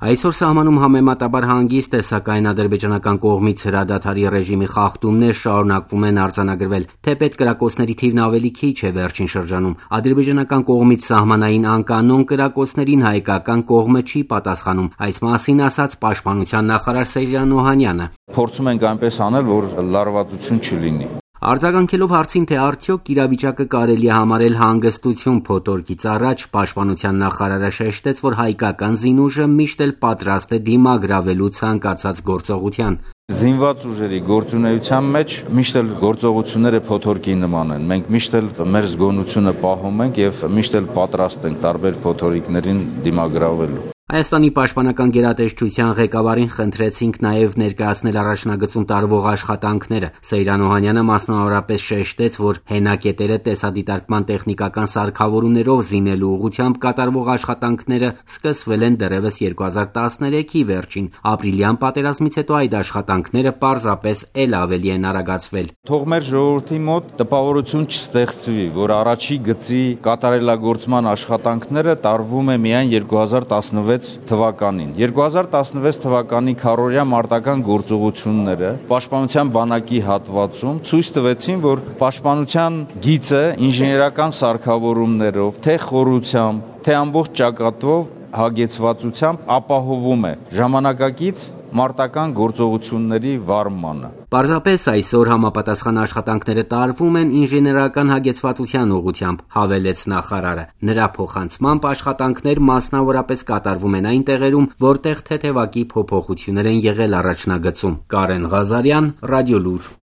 Այսօր սահմանում համեմատաբար հանգիստ է, սակայն ադրբեջանական կողմից հրադադարի ռեժիմի խախտումներ շարունակվում են արձանագրվել, թեպետ կրակոցների թիվն ավելի քիչ է վերջին շրջանում։ Ադրբեջանական կողմից սահմանային անկանոն կրակոցներին հայկական կողմը չի պատասխանում, այս մասին ասաց պաշտպանության նախարար Սեյրան Օհանյանը։ Փորձում ենք այնպես անել, որ լարվածություն չլինի։ Արձագանքելով հարցին, թե արդյոք իրավիճակը կարելի է համարել հանգստություն փոթորկից առաջ, պաշտպանության նախարարը շեշտեց, որ հայկական զինուժը միշտ էլ պատրաստ է դիմագրավելու ցանկացած գործողության։ Զինված ուժերի գործունեության մեջ միշտ էլ գործողությունները փոթորկի նման են։ Մենք միշտ էլ մեր զգոնությունը պահում ենք եւ միշտ էլ պատրաստ ենք տարբեր փոթորիկներին դիմագրավելու։ Հայաստանի պաշտպանական գերատեսչության ղեկավարին խնդրեցինք նաև ներկայացնել առաջնագծում տարվող աշխատանքները։ Սեյրան Օհանյանը մասնավորապես շեշտեց, որ հենակետերը տեսադիտարկման տեխնիկական սարքավորումներով զինելու ուղղությամբ կատարվող աշխատանքները սկսվել են դեռևս 2013-ի վերջին։ Ապրիլյան պատերազմից հետո այդ աշխատանքները պարզապես էլ ավելի են արագացվել։ Թող մեր ժողովրդի մոտ տպավորություն չստեղծվի, որ առաջի գծի կատարելագործման աշխատանքները տարվում է միայն 2016 թվականին։ 2016 թվականի քառօրյա մարտական գործողությունները պաշտպանության բանակի հատվածում ցույց տվեցին, որ պաշտպանության գիծը ինժեներական սարքավորումներով, թե խորությամբ, թե ամբողջ ճակատով հագեցվածությամբ ապահովում է ժամանակակից մարտական գործողությունների վարմանը։ Պարզապես այսօր համապատասխան աշխատանքները տարվում են ինժեներական հագեցվածության ուղղությամբ, հավելեց նախարարը։ Նրա փոխանցմամբ աշխատանքներ մասնավորապես կատարվում են այն տեղերում, որտեղ թեթևակի փոփոխություններ են եղել առաջնագծում։ Կարեն Ղազարյան, Ռադիոլուր։